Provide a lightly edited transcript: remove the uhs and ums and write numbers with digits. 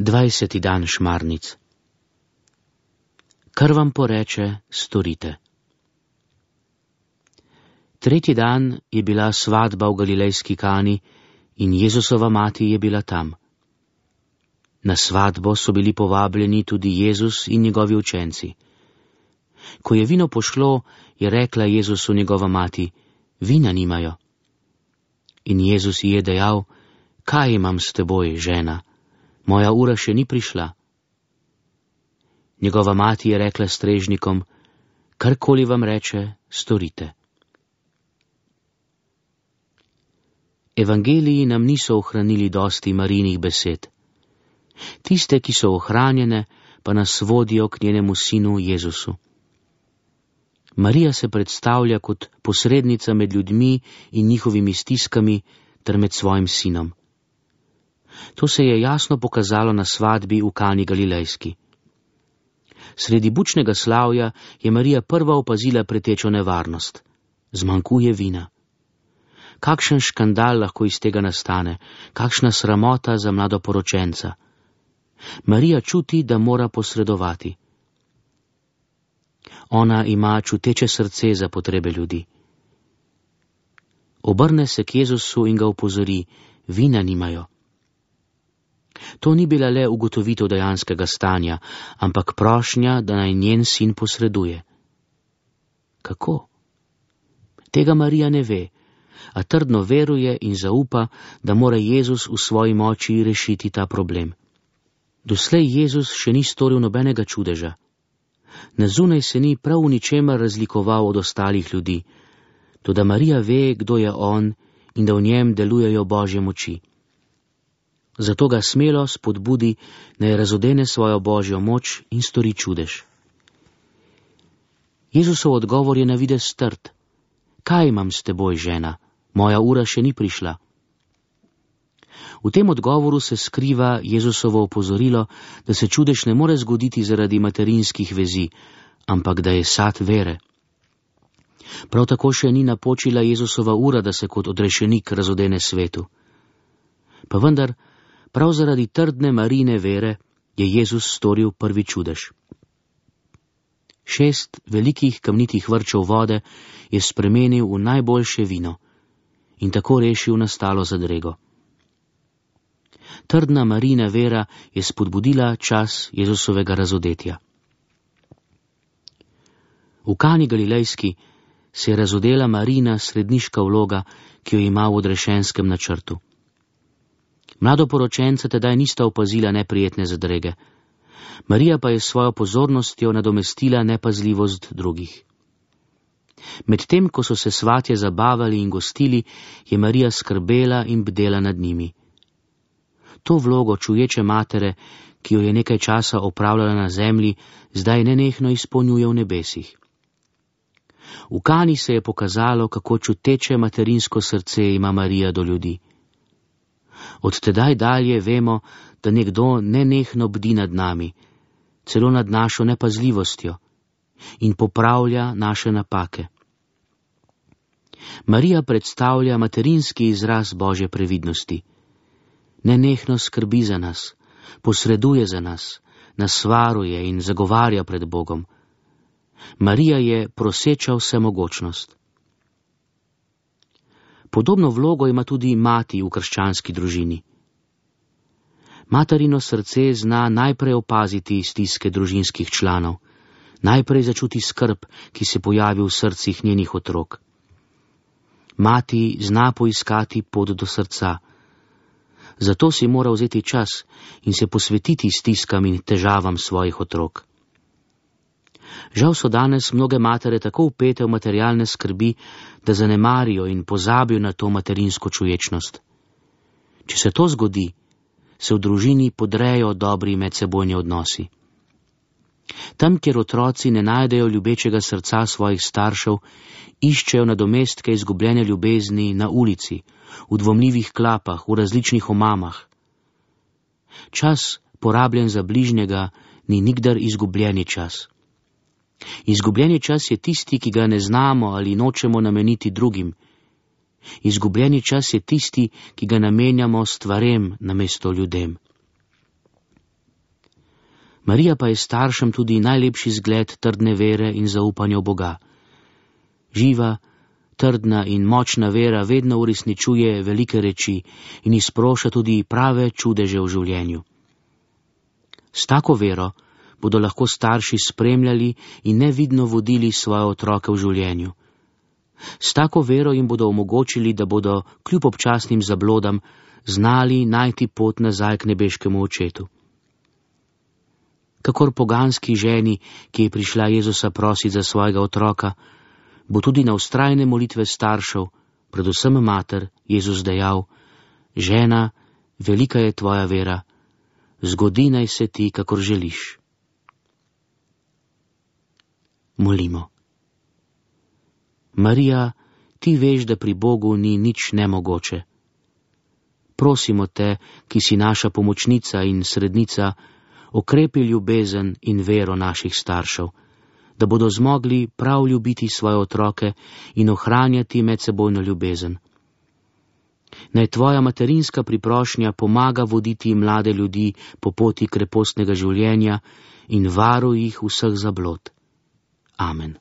20. dan šmarnic. Kar vam poreče, storite. Tretji dan je bila svatba v Galilejski Kani in Jezusova mati je bila tam. Na svatbo so bili povabljeni tudi Jezus in njegovi učenci. Ko je vino pošlo, je rekla Jezusu njegova mati: vina nimajo. In Jezus ji je dejal: kaj imam s teboj, žena? Moja ura še ni prišla. Njegova mati je rekla strežnikom: karkoli vam reče, storite. Evangeliji nam niso ohranili dosti Marijinih besed. Tiste, ki so ohranjene, pa nas vodijo k njenemu sinu Jezusu. Marija se predstavlja kot posrednica med ljudmi in njihovimi stiskami ter med svojim sinom. To se je jasno pokazalo na svatbi v Kani Galilejski. Sredi bučnega slavja je Marija prva opazila pretečo nevarnost. Zmanjkuje vina. Kakšen škandal lahko iz tega nastane, kakšna sramota za mladoporočenca. Marija čuti, da mora posredovati. Ona ima čuteče srce za potrebe ljudi. Obrne se k Jezusu in ga opozori: vina nimajo. To ni bila le ugotovitev dejanskega stanja, ampak prošnja, da naj njen sin posreduje. Kako? Tega Marija ne ve, a trdno veruje in zaupa, da mora Jezus v svoji moči rešiti ta problem. Doslej Jezus še ni storil nobenega čudeža. Na zunaj se ni prav v ničemer razlikoval od ostalih ljudi, toda Marija ve, kdo je on in da v njem delujejo Božje moči. Zato ga smelo spodbudi, naj razodene svojo Božjo moč in stori čudež. Jezusov odgovor je na videz trd. Kaj imam s teboj, žena? Moja ura še ni prišla. V tem odgovoru se skriva Jezusovo opozorilo, da se čudež ne more zgoditi zaradi materinskih vezi, ampak da je sad vere. Prav tako še ni napočila Jezusova ura, da se kot odrešenik razodene svetu. Pa vendar, prav zaradi trdne Marijine vere je Jezus storil prvi čudež. 6 velikih kamnitih vrčev vode je spremenil v najboljše vino in tako rešil nastalo zadrego. Trdna Marijina vera je spodbudila čas Jezusovega razodetja. V Kani Galilejski se je razodela Marijina sredniška vloga, ki jo ima v odrešenskem načrtu. Mladoporočenca tedaj nista opazila neprijetne zadrege. Marija pa je s svojo pozornostjo nadomestila nepazljivost drugih. Medtem, ko so se svatje zabavali in gostili, je Marija skrbela in bdela nad njimi. To vlogo čuječe matere, ki jo je nekaj časa opravljala na zemlji, zdaj nenehno izpolnjuje v nebesih. V Kani se je pokazalo, kako čuteče materinsko srce ima Marija do ljudi. Od tedaj dalje vemo, da nekdo nenehno bdi nad nami, celo nad našo nepazljivostjo, in popravlja naše napake. Marija predstavlja materinski izraz Božje previdnosti. Nenehno skrbi za nas, posreduje za nas, nas varuje in zagovarja pred Bogom. Marija je proseča vsemogočnost. Podobno vlogo ima tudi mati v krščanski družini. Materino srce zna najprej opaziti stiske družinskih članov, najprej začuti skrb, ki se pojavi v srcih njenih otrok. Mati zna poiskati pot do srca. Zato si mora vzeti čas in se posvetiti stiskam in težavam svojih otrok. Žal so danes mnoge matere tako vpete v materialne skrbi, da zanemarijo in pozabijo na to materinsko čuječnost. Če se to zgodi, se v družini podrejo dobri medsebojni odnosi. Tam, kjer otroci ne najdejo ljubečega srca svojih staršev, iščejo nadomestke izgubljene ljubezni na ulici, v dvomljivih klapah, v različnih omamah. Čas, porabljen za bližnjega, ni nikdar izgubljeni čas. Izgubljeni čas je tisti, ki ga ne znamo ali nočemo nameniti drugim. Izgubljeni čas je tisti, ki ga namenjamo stvarem namesto ljudem. Marija pa je staršem tudi najlepši zgled trdne vere in zaupanja v Boga. Živa, trdna in močna vera vedno uresničuje velike reči in izproša tudi prave čudeže v življenju. S tako vero bodo lahko starši spremljali in nevidno vodili svoje otroke v življenju. S tako vero jim bodo omogočili, da bodo kljub občasnim zablodam znali najti pot nazaj k nebeškemu očetu. Kakor poganski ženi, ki je prišla Jezusa prosit za svojega otroka, bo tudi na vztrajne molitve staršev, predvsem mater, Jezus dejal: žena, velika je tvoja vera, zgodi naj se ti, kakor želiš. Molimo. Marija, ti veš, da pri Bogu ni nič nemogoče. Prosimo te, ki si naša pomočnica in srednica, okrepi ljubezen in vero naših staršev, da bodo zmogli prav ljubiti svoje otroke in ohranjati medsebojno ljubezen. Naj tvoja materinska priprošnja pomaga voditi mlade ljudi po poti krepostnega življenja in varuj jih vseh zablod. Amen.